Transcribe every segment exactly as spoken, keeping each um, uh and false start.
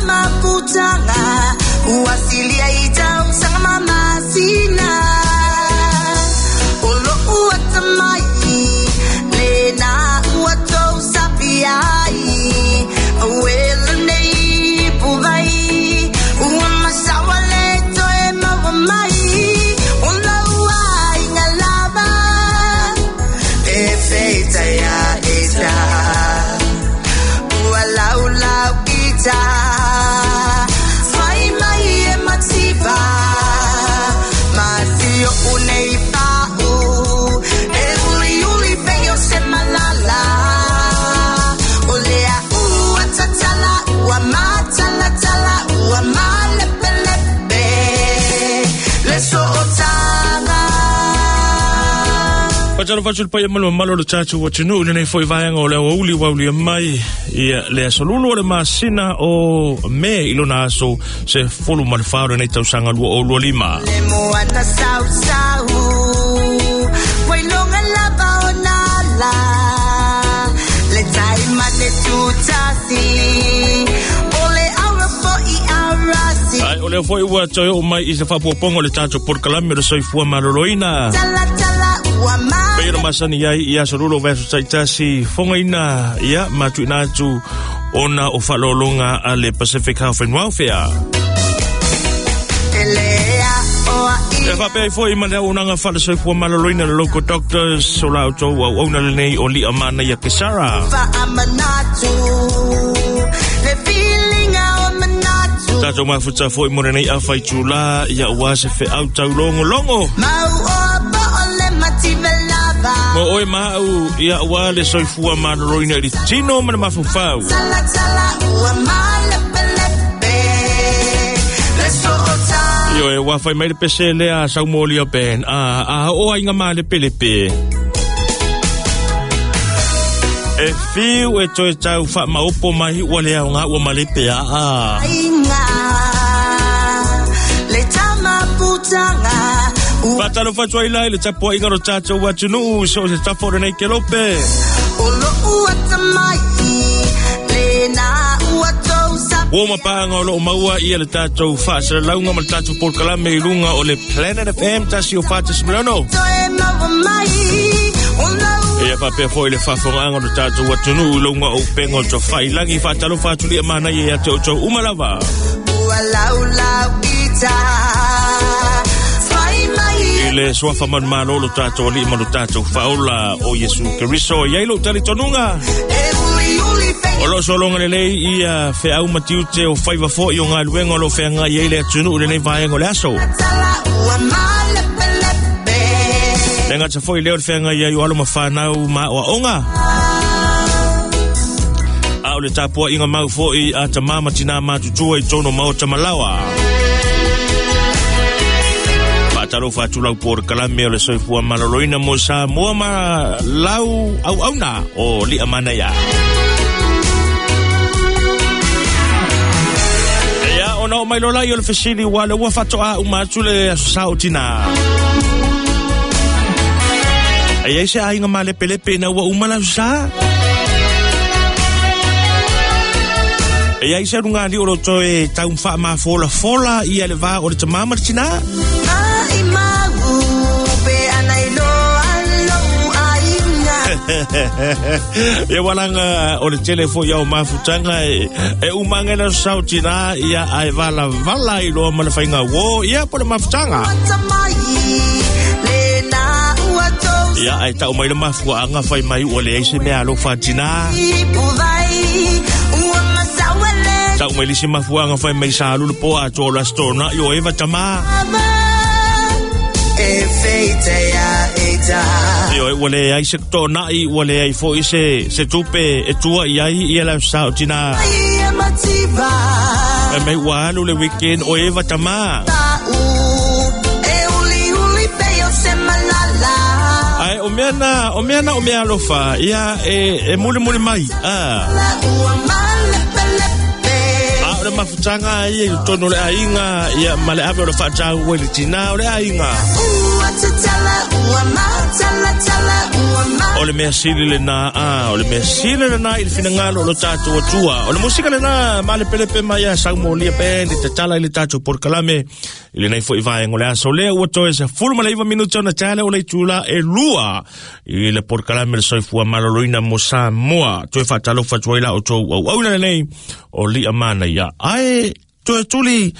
tamaputanga Uasilia i tausaga ma masina O lo'u atamai Lena ua tou sapi ai Auela nei puvai Ua masawa le toe maua mai O lau aiga lava E feita ia ita Ua laulau ita Fai mai e mativa Masio unei pa'u E uli uli pei o se malala O lea ua tatala ua matalatala ua malepelepe Le so'otaga Fatalo fatu le paia malo malo le tatou atunuu lenei foi vaega o le aoauli uaulia mai ia le aso lulu o le masina o Me i lona aso se fulu ma le fa o lenei tausaga lua o lua lima. Le moana sausau Wailoga lava o nala Le taimane tutasi O le aura fo'i arasi Ai, o lea foi ua toe oo mai i se faapuapuaga o le tatou polokalame o le soifua maloloina. Tala tala ua Pei ona masani ai i aso lulu o vaiaso taitasi fogaina ia ma tuuina atu ona o faaaloaloga a le Pacific Health and Welfare. Elea o E faapea ai foi ma le auaunaga faale-soifua maloloina le local doctors o la outou auauna lenei o Lia Manaia Kesara. Faamanatu Le feelinga o manatu Tatou mafuta foi mo lenei afaitulā ia ua se feau taulogologo. Mau o po o le mativa lava Mo oe ma au ia ua le soifua maloloina i le tino ma le mafaufau. Tala tala ua malepelepe Le so'ota Io e ua fai mai le pese lea saumolia ben a a o aiga malepelepe. E fiu e toe tau faamaopo mai ua le aoga ua malepe aa. Aiga Le tamaputanga Fatalo fatu ai lai le tapuaiga o le tatou atunuu so o se tafa o lenei kelope. O lo'u atamai Lena ua tou sapi Ua mapaanga o loo maua ia le tatou faasalalauga ma le tatou polokalame i luga o le Planet F M tasi o fa tasi miliona. Toe maua mai O lau Ia faapea foi le faafogaaga o le tatou atunuu i luga o upega o tofaiilagi faatalofa atu lia manaia ia te outou uma lava. Ua laulau ita Fai mai I le suafa manumalo lo tatou alii ma lo tatou faaola o Iesu Keriso i ai lou talitonuga. E uli uli pei O loo sologa lelei ia feau ma tiute o faiva foi o galuega o loo feagai ai le atunuu i lenei vaega o le aso. Tala ua malepelepe Le gata foi lea o le feagai ai o alo ma fanau ma aoaoga. A o le tapuaiga mau foi a tamā ma tinā matutua i tonu o maota malaoa. Faatalofa atu lau polokalame o le soifua maloloina mo Samoa ma lau auauna o Lia Manaia. Ia, ona oo mai loa lea o le fesili ua le ua faatoa uma atu le aso sa o tinā. E ai se aiga malepelepe ina ua uma le aso sa. E ai se aluga o lo toe tau faamafolafola ia le vā o le tamā ma le tinā. Mai mau pe ana i loa lou aiga. Ia walanga o le tele foi au mafutaga e, e umanga le aso sa o tinā ia ae valavala i loa ma le faiga uō ia po le mafutaga. Atamai lena ua tou Ia ae tau mai le mafuaaga fai mai ua leai se mea alofa a tinā. Ipuvai ua masaua le Tau mai le isi mafuaaga fai mai sa alu le po atoa o le aso tona'i o Eva tamā. E feita ia ita Io e ua leai se tona'i ua leai foi se, se tupe e tua i ai ia le aso sa o tinā. Ai e mativa E mai ua alu le weekend o Eva tamā. Pa'u e uli uli pei o se malala. Ai, o mea na, o mea na o mea alofa, ia e, e muli muli mai. Ah. La ua malepelepe. A o le mafutaga ia i totonu o le aiga, ia ma le ave o le faataua i le tinā o le aiga. Ua tatala O le mea sili lena a, o le mea sili lena i le finagalo o lo tatou Atua. O le musika lena ma le pelepe mai a Saumolia Band i tatala i le tatou polokalame i lenei foi vaega o le aso lea ua toe sefulu ma le iva minuti ona tale o le itula e lua i le polokalame le soifua maloloina mo Samoa. Toe faatalofa atu ai la outou auauna lenei o lia manaia. Ae toe tuli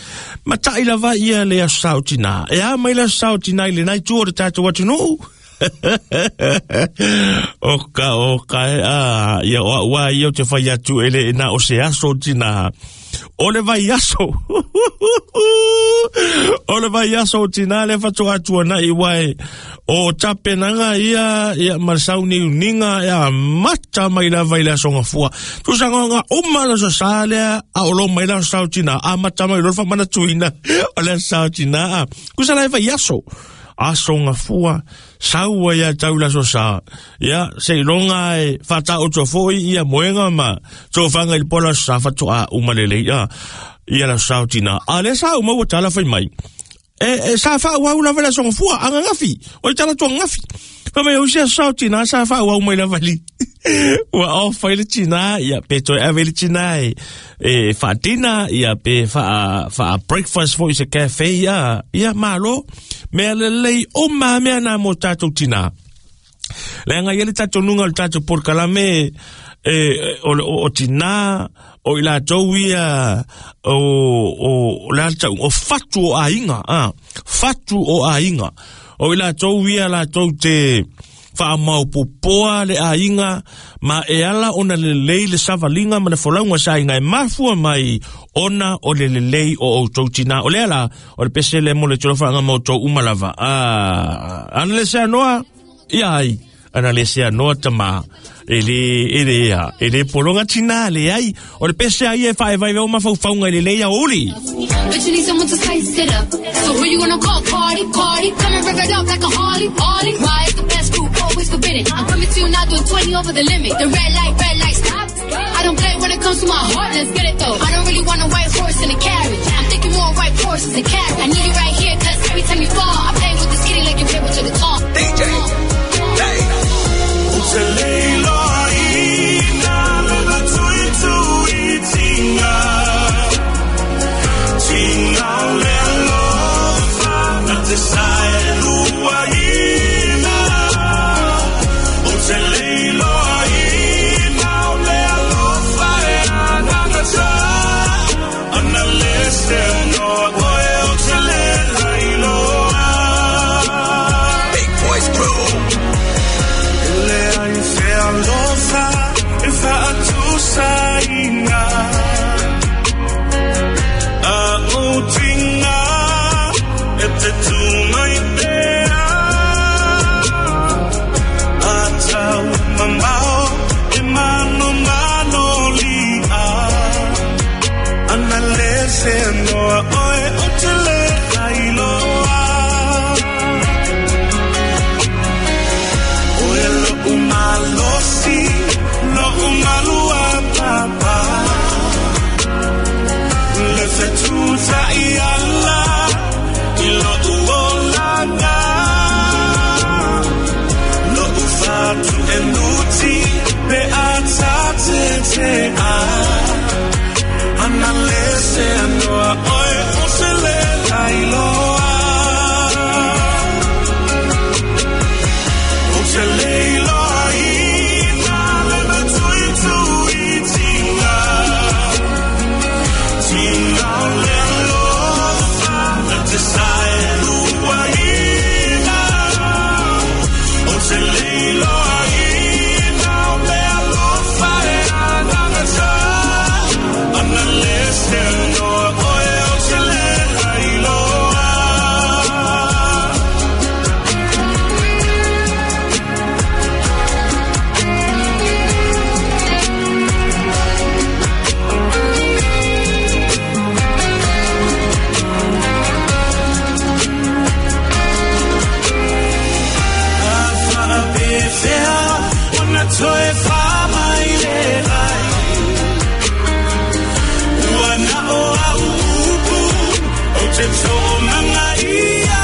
matai lava ia le aso sa o tina. E a mai le aso sa o tina i lenei itu o le tatou atunuu. O ka o ka e a ia o ua ia o te whai atu ele e na o se aso tina. O le vai aso. O le vai aso tina le whatu atu ana i wai. O tapenanga ia ia marsau ni uninga ia mata mai la vai la songa fua. Tusa ngonga uma la so salea a olo mai la sao tina a mata mai lo fa mana tuina o la sao tina. Kusa la vai aso. Aso ngafua saua ia taula so sa ia se longa e fata o tofoi ia moenga ma tofanga i pola sa fatu a umalele ia ia la sautina a le sa uma tala fai mai e e sa fa wa ula vela so ngafua anga ngafi o tala to ngafi fa mai o sia sautina sa fa wa uma ila vali ua o fai le tina ia pe toe ave le tina e e fa dina ia pe fa fa breakfast foi se cafe ia ia malo mea lelei o ma mea na mo tatou tina. Le anga ia le tatou nunga o le tatou polokalame e o o tina o i latou ia o o le tau o fatu o aiga a fatu o aiga o i latou ia latou te whaamaupopoa le aiga ma e ala ona lelei le savalinga ma le folauga sa aiga e mafua mai ona o le lelei o outou tina. O lea la o le pese le mo le tolofaga ma outou uma lava. Ah, ana le sea noa ia ai ana le sea noa tama e le e le ia e le polonga tina le ai o le pese ai e faevai o mafaufauga i lelei a uli. But you need someone to spice it up. So who you gonna call? Party, party. Come and rev it up like a Harley, Harley. Why is the best group always forbidden? I'm coming to you now doing twenty over the limit. The red light, red light, stop. I don't play when it comes to my heart, let's get it though. I don't really want a white horse in a carriage. I'm thinking more white horses and carriage. I need you right here, cause every time you fall, I play with this kitty like you play with your guitar. D J, hey. Big Boys Crew. Te tō manga ia.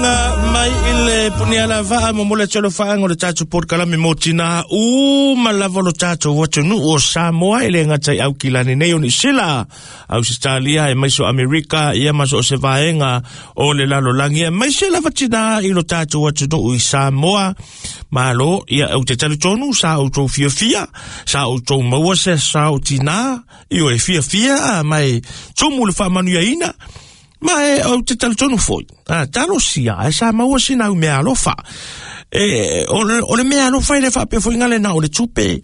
faafetainga mai i le puniala vaa mo mole tolo faanga o le tatou polokalame mo tina uma lava lo tatou atunuu o Samoa e le gata i Aukilani nei o Niu Sila, Ausetalia e maiso Amerika ia ma so o se vaega o le lalolagi e maise lava tina i lo tatou atunuu i Samoa. Malo, ia ou te talitonu sa outou fiafia, sa outou maua se sa o tina, i o e fiafia mai tumu le faamanuiaina. Ma e ou te talitonu foi. Ah, talosia, e sa maua sina au mea alofa. E, o, le, o le mea alofa i le faapea foi ngale na o le tupe.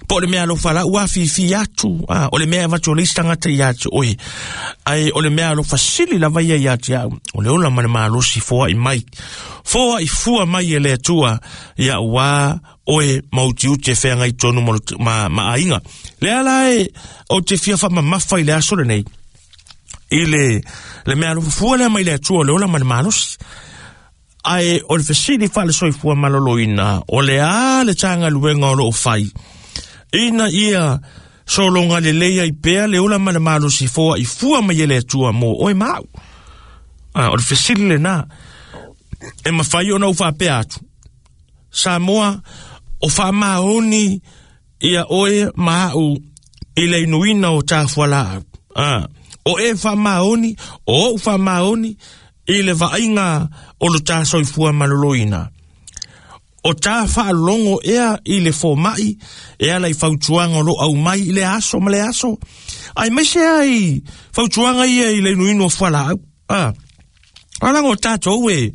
Po o le mea alofa la ua fifi atu. Ah, o le mea avatu o le isi tagata ia te oe. Ai, o le mea alofa sili lava ia ia te au. O le ola ma le malosi foai mai. Foai fua mai e le Atua. Ia ua oe mautiuti e feagai tonu ma, ma, ma aiga. Le ala e o te fia faamamafa i le aso lenei. I le, le mea alofa fua lea mai le Atua o le ola ma le malosi. Ae o le fesili faale-soifua maloloina, o le a le tagaluega o loo fai. Ina ia sologa lelei ai pea le ola ma le malosi foa i fua mai e le Atua mo oe ma au. Ah, o le fesili lena, e mafai ona ou faapea atu. Samoa, o faamaoni ia oe ma au i le inuina o tafualaau. Ah, o e faamaoni, o ou faamaoni i le vaaiga o lo tā soifua maloloina. O tā faalogo ea i le fomai, e ala i fautuaga o lo au mai i le aso ma le aso. Ai maise ai fautuaga ia i le inuinu o fualaau. Ah, alaga o tatou e,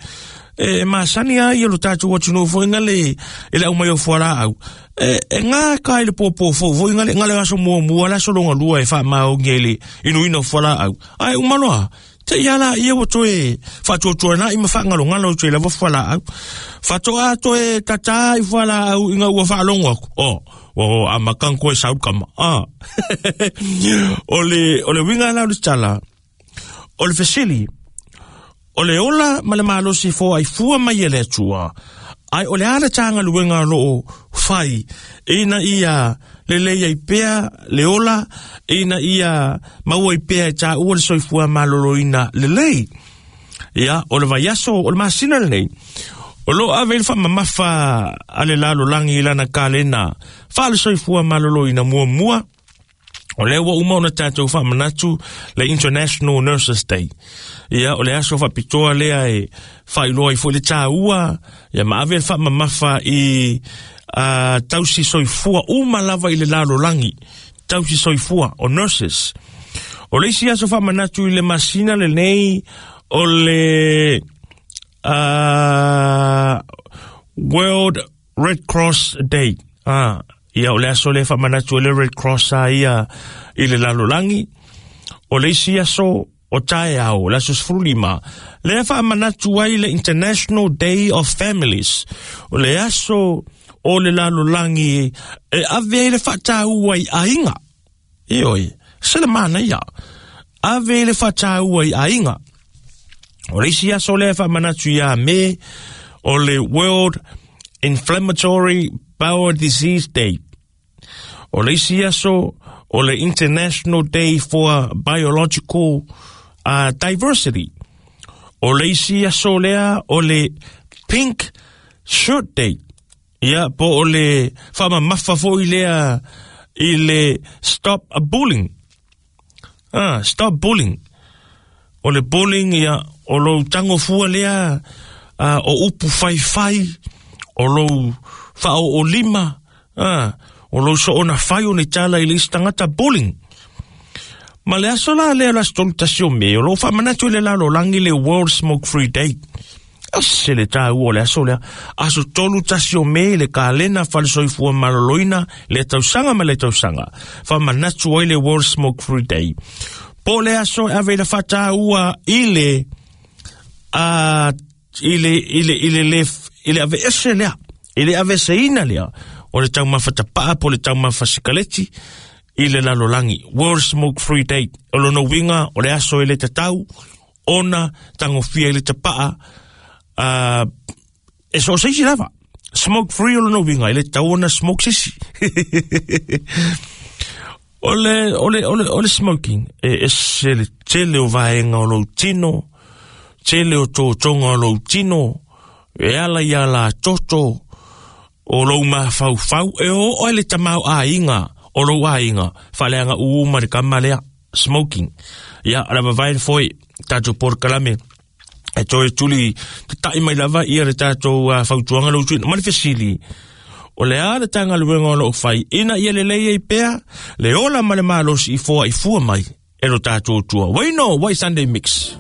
e masani ai ia lo tatou atunuu foi ngale e le aumai o fualaau. E, e ngā kai le pōpō fou foi ngale, ngale aso muamua, le aso longa lua e faamaogi ai le inuina o fualaau. Ai umaloa, te ia la ia ua toe faatuatuanai ma faangalogalo toe lava fualaau. Faatoa toe tatā i fualaau ina ua faalogo aku. Oh, o amakang koe sau kama. Ah. O le, o le uiga la o le tala, o le fesili, o le ola ma le malosi foai fua mai e le Atua. Ai o le a le tagaluega o loo fai, ina ia lelei ai pea le ola, ina ia maua ai pea e tāua le soifua maloloina lelei. Ia, o le vaiaso, o le masina lenei, o loo ave i le faamamafa a le lalolagi i lana kalena, faale soifua maloloina muamua. O lea ua uma ona tatou faamanatu le International Nurses Day. Ia, o le aso faapitoa lea e faailoa ai foi le tāua, ia ma ave le faamamafa i uh, tausi soifua uma lava i le lalolagi. Tausi soifua o nurses. O le isi aso faamanatu i le masina lenei o le uh, World Red Cross Day. Ah, ia o le aso le faamanatu le Red Cross a ia i le lalolagi. O le isi aso o taeao, le aso sefululima, lea faamanatu ai le International Day of Families. O le aso o le lalolagi e ave ai le faataua i aiga. Ioe, se le manaia. Ave ai le faataua i aiga. O le isi aso lea faamanatu ia Me, o le World Inflammatory Bowel Disease Day. O le isi aso o le International Day for Biological uh, Diversity. O le isi aso lea o le Pink Shirt Day. Ia, po o le faamamafa foi lea i le Stop Bullying. Ah, Stop Bullying. O le bullying ia, o lou tagofua lea uh, o upu faifai, o lou faaoolima, ah, o lou soona fai o ni tala i le isi tagata bullying. Ma le aso la lea o le aso tolu tasi o Me, o loo faamanatu i le lalolagi le World Smoke Free Day. Ase le tāua o le aso lea. Aso tolu tasi o Me le kalena faale-soifua maloloina le tausaga ma le tausaga. Faamanatu ai le World Smoke Free Day. Po le aso e ave i le faataua i le uh, i le i le i le le i le aveese lea, i le aveseina lea o le taumafa tapaa po le taumafa sikaleti i le lalolagi. World Smoke Free Day. O lona uiga o le aso e le tatau ona tagofia i le tapaa uh, e so o se isi lava. Smoke free o lona uiga e le tatau ona smoke se isi. O le, o le, o le, o le smoking, e ese le tele o vaega o lou tino, Tele o tō tonga o lou tino, e ala ia la toto, o lou mafaufau, e o o le tamau a inga, o lou a inga, whaleanga uuma le kamalea, smoking. Ia, ala vavai foi, tātou porokalame, e toe tuli, te tai mai lava ia le tātou uh, fautuanga lou tuina, ma le fesili, o le a le tanga luenga o loo whai, ina ia le leia i pea, le ola ma le malosi i fua i fua mai, e lo tātou tua. Waino, Wai Sunday Mix.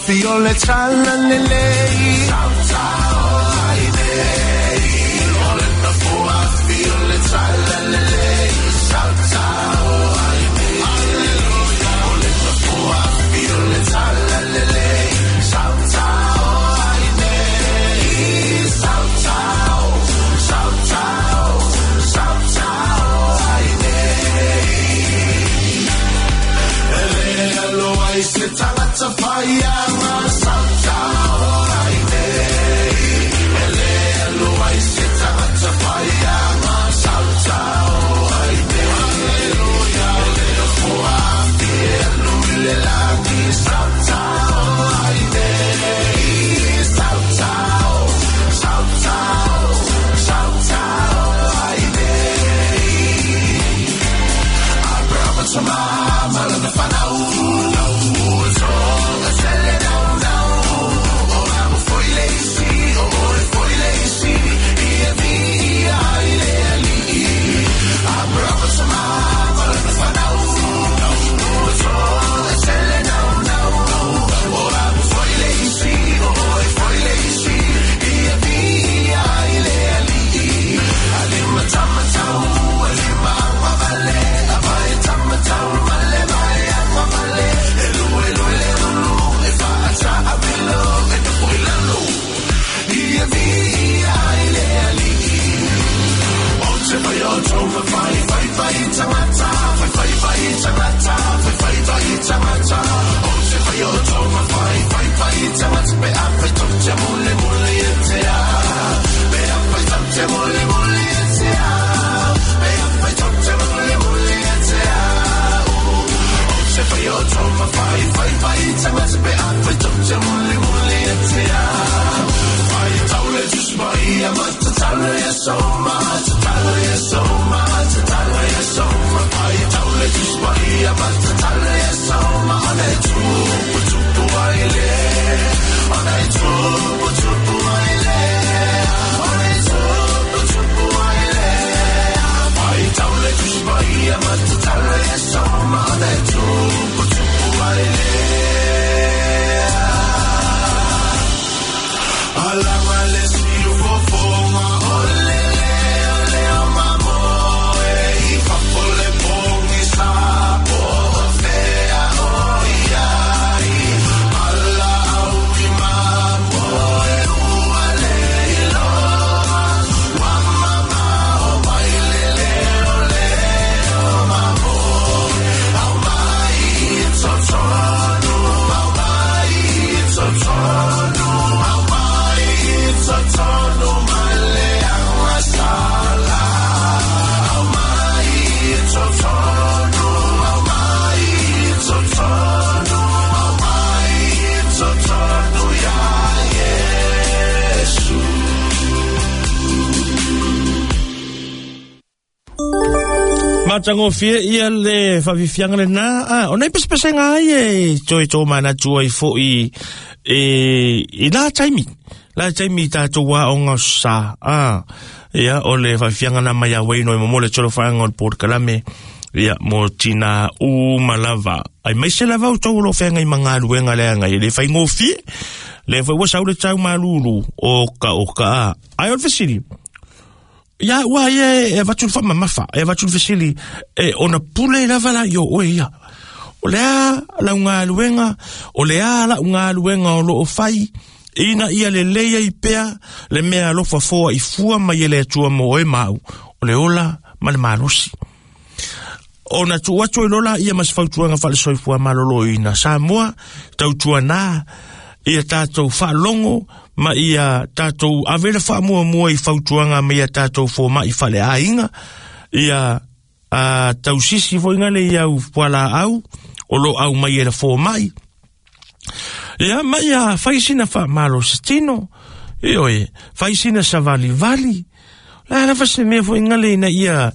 Fiole tralalelei, Matangofie ia le whawifianga le nā. Ah, o nei pesepese ngā ai e toi tō mana tua i fo i, e, i la taimi. La taimi tātou wā o ngā sa. Ah, ia o le whawifianga nā mai a weino i momole tolo whaanga o le porokalame. Ia mo tina u malava. Ai mai se lava o tau lo whenga i mangaluenga le anga i le whaingofie. Le foi ua sau le tau malulu o ka o ka ai o le fesili. Ia ua ia e avatu le faamamafa, e avatu le fesili e ona pule lava la i o oe ia. O le a lau galuega, o le a lau galuega o loo fai, ina ia le leia i pea, le mea alofa foa i fua mai e le Atua mo oe mau, o le ola ma le malosi. Ona tuu atu i lola ia ma se fautuaga faalesoifua maloloina. Samoa, tautuanā, ia tātou faalogo ma ia tātou ave le faamuamua i fautuaga ma ia tātou fomaʻi faleaiga, ia a tausisi foʻiga le iau fualaau o lo au mai e le fomaʻi. Ia ma ia fai sina faamalosi tino, ioe, fai sina savalivali. La lava se mea foʻiga le ina ia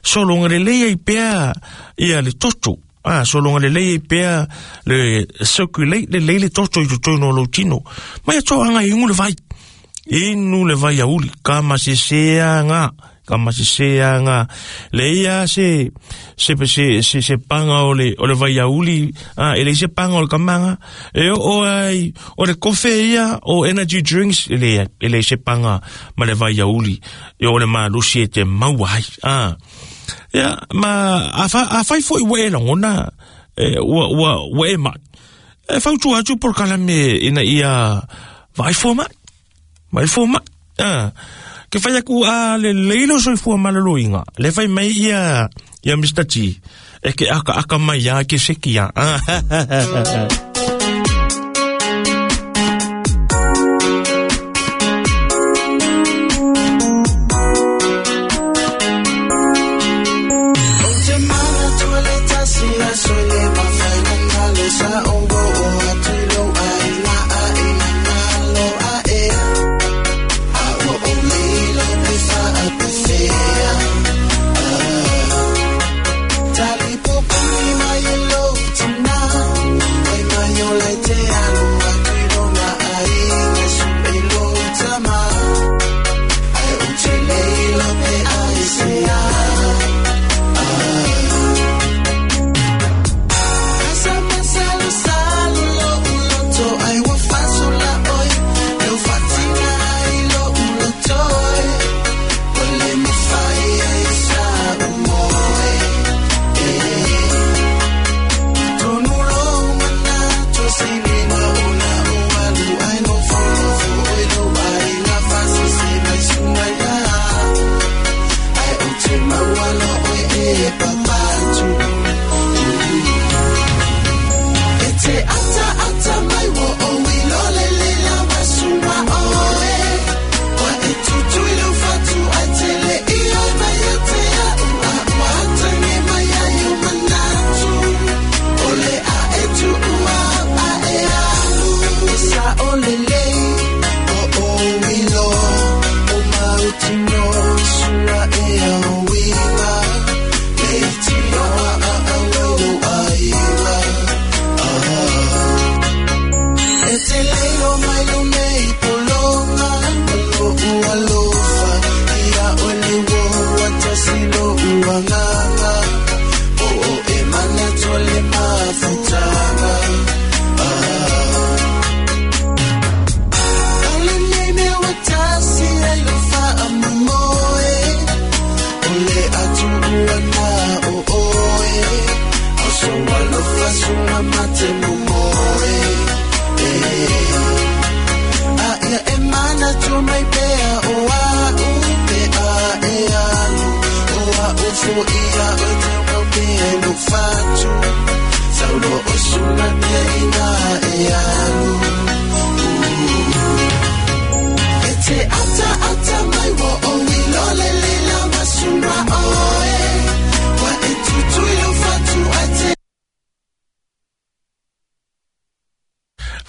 sologa lelei ai pea ia le toto. Ah, sologa lelei ai pea le circulate lelei le toto i totonu o lou tino. Ma ia toaga e igu le vai. Inu le vai auli, ka maseseaga, ka maseseaga. Le ia se, se, se, se, se panga o le, o le vai auli, ah, e le se panga o le kamaga. E o, o ai, o le kofe ia, o energy drinks, e le, e le se panga ma le vai auli. E o le malosi e te maua ai. Ah. Ia, ma, a fa, a fai foi ua e lagona, e, ua, ua, ua e mai. E fautua atu polokalame ina ia vaai fua mai. Vaai fua mai. Ah. Ke fai aku a le leilo soifua maloloina. Le fai mai ia, ia Mister T. E ke aka aka mai ia ke seki ia. Ah.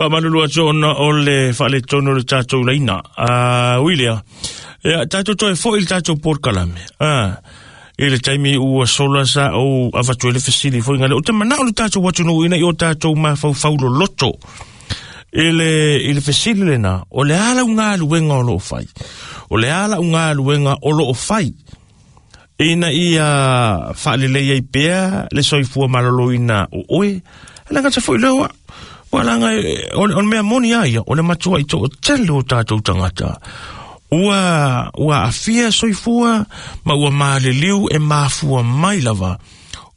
Faamalulu atu ona o le faaletonu o le tatou laina. Ah, Willia, ia tatou toe foʻi le tatou polokalame. Ah, i le taimi ua sola sa ou avatu ai le fesili foʻiga le o te manao le tatou atunuu ina i o tatou mafaufau loloto. I le, i le fesili lena, o le a lau galuega o loo fai. O le a lau galuega o loo fai. Ina ia faalelei ai pea le soifua maloloina o oe. E le gata foʻi lea oa. Walanga o o mea moni ai o le matua i to tele o tātou tangata. Ua ua afia soifua ma ua maliliu e mafua mai lava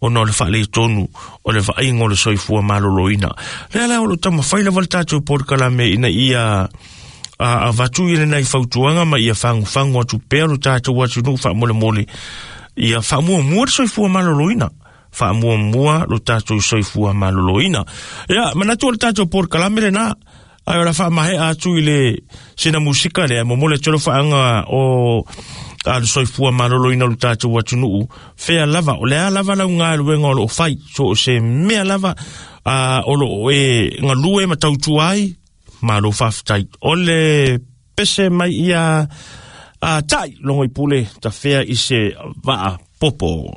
ona o le faaletonu o le vaaiga o le soifua maloloina. Lea la o lo taumafai lava le tatou polokalame ina ia a avatu i lenei fautuaga ma ia fagufagu atu pea lo tatou atunuu faamolemole ia faamuamua le soifua maloloina. Faamuamua lo tatou soifua maloloina. Ia manatu o le tatou polokalame lenā ai o la faamahea atu i le sina musika lea momoli atu le faaga o a le soifua maloloina o le tatou atunuu fea lava o le a lava lau galuega o loo fai so o se mea lava a o loo e galue ma tautua ai malo faafetai o le pese mai ia a tai logo i pule tafea i se vaa popo.